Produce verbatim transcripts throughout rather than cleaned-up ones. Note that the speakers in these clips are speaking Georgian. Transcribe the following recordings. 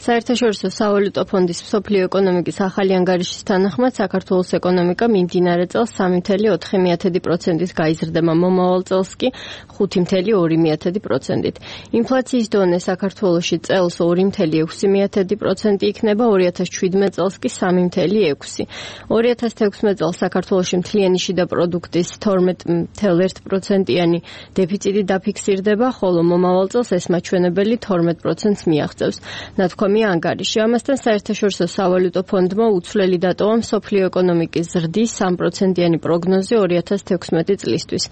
საერთაშორისო სავალუტო ფონდის მსოფლიო ეკონომიკის ახალი ანგარიშის თანახმად საქართველოს ეკონომიკა მიმდინარე წელს სამი ფاصლე ოთხი პროცენტით გაიზრდება, მომავალ წელს კი ხუთი ფاصლე ორი პროცენტით. ინფლაციის დონე საქართველოში წელს ორი ფاصლე ექვსი პროცენტი იქნება, ორი ათას შვიდმეტ წელს კი სამი ფاصლე ექვსი. ორი ათას თექვსმეტ წელს საქართველოში მთლიანი შიდა პროდუქტის თორმეტ ფاصლე ერთი პროცენტიანი დეფიციტი დაფიქსირდება, ხოლო მომავალ წელს ეს მაჩვენებელი თორმეტ პროცენტს მიაღწევს. ნათქვამია ანგარიში. ამასთან საერთაშორისო სავალუტო ფონდმა უცვლელი დატოვა მსოფლიო ეკონომიკის ზრდის სამი პროცენტიანი პროგნოზი ორი ათას თექვსმეტი წლისთვის.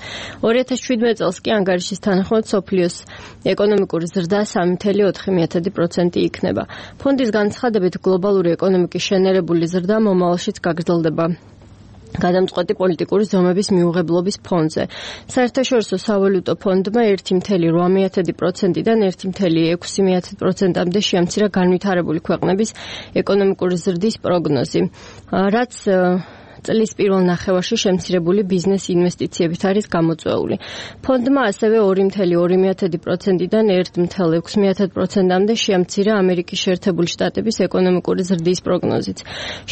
ორი ათას შვიდმეტ წელს კი ანგარიშის თანახმად მსოფლიოს ეკონომიკური ზრდა სამი ფاصლე ოთხი პროცენტი იქნება. ფონდის განცხადებით გლობალური ეკონომიკის შენერებული ზრდა მომავალშიც გაგრძელდება გადამწყვეტი პოლიტიკური ზომების მიუღებლობის ფონზე. საერთაშორისო სავალუტო ფონდმა ერთი ფاصლე რვა პროცენტიდან ერთი ფاصლე ექვსი პროცენტამდე შეამცირა განვითარებული ქვეყნების ეკონომიკური ზრდის პროგნოზი, რაც წლის პირველ ნახევარში შემცირებული ბიზნეს ინვესტიციებით არის გამოწვეული. ფონდმა ასევე ორი ფاصლე ორი პროცენტიდან ერთი ფاصლე ექვსი პროცენტამდე შეამცირა ამერიკის შეერთებული შტატების ეკონომიკური ზრდის პროგნოზიც.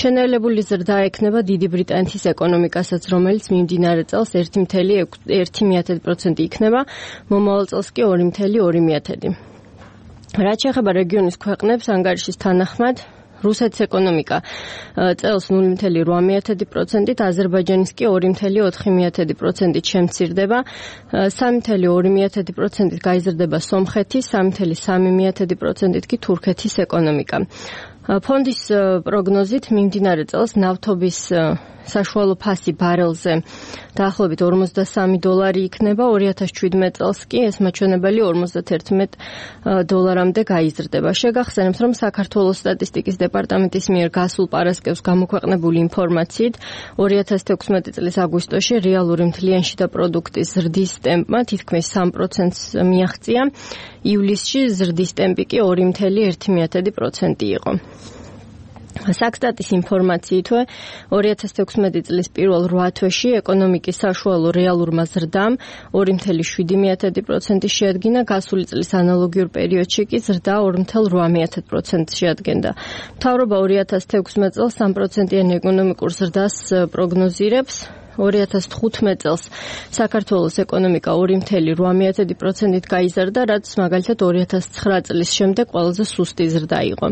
შენელებული ზრდა ექნება დიდი ბრიტანეთის ეკონომიკასაც, რომელიც მიმდინარე წელს ერთი ფاصლე ერთი პროცენტი იქნება, მომავალ წელს კი ორი ფاصლე ორი პროცენტი. რაც შეეხება რეგიონის ქვეყნებს, ანგარიშის თანახმად რუსეთის ეკონომიკა წელს ნული ფاصლე რვა პროცენტით, აზერბაიჯანის კი ორი ფاصლე ოთხი პროცენტით შემცირდება, სამი ფاصლე ორი პროცენტით გაიზრდება სომხეთის, სამი ფاصლე სამი პროცენტით კი თურქეთის ეკონომიკა. ფონდის პროგნოზით მიმდინარე წელს ნავთობის საშუალო ფასი ბარელზე დაახლოებით ორმოცდასამი დოლარი იქნება, ორი ათას შვიდმეტ წელს კი ეს მაჩვენებელი ორმოცდაერთმეტ დოლარამდე გაიზრდება. შეგახსენებთ, რომ საქართველოს სტატისტიკის დეპარტამენტის მიერ გასულ პარასკევს გამოქვეყნებული ინფორმაციით ორი ათას თექვსმეტი წლის აგვისტოში რეალური მთლიანი შიდა პროდუქტის ზრდის ტემპმა თითქმის სამი პროცენტს მიაღწია, ივლისში ზრდის ტემპი კი ორი ფاصლე ერთი პროცენტი იყო. საქსტატის ინფორმაციითვე ორი ათას თექვსმეტი წლის პირველ რვა თვეში ეკონომიკის საშუალო რეალურმა ზრდამ ორი ფاصლე შვიდი პროცენტი შეადგინა, გასული წლის ანალოგიურ პერიოდში კი ზრდა ორი ფاصლე რვა პროცენტი შეადგენდა. მთავრობა ორი ათას თექვსმეტ წელს სამი პროცენტიანი ეკონომიკურ ზრდას პროგნოზირებს. ორი ათას თხუთმეტ წელს საქართველოს ეკონომიკა ორი ფاصლე რვა პროცენტით გაიზარდა, რაც მაგალითად ორი ათას ცხრა წლის შემდეგ ყველაზე სუსტი ზრდა იყო.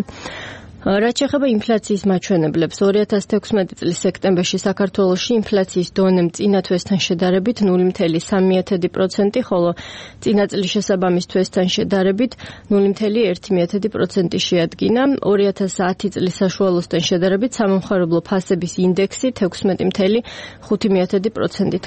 რაც შეეხება ინფლაციის მაჩვენებლებს, ორი ათას თექვსმეტი წლის სექტემბერში საქართველოში ინფლაციის დონემ წინა თვესთან შედარებით ნული ფاصლე სამი პროცენტი, ხოლო წინა წლის შესაბამის თვესთან შედარებით ნული ფاصლე ერთი პროცენტი შეადგინა. ორი ათას ათი წლის საშუალოსთან შედარებით სამომხმარებლო ფასების ინდექსი თექვსმეტი ფاصლე ხუთი პროცენტით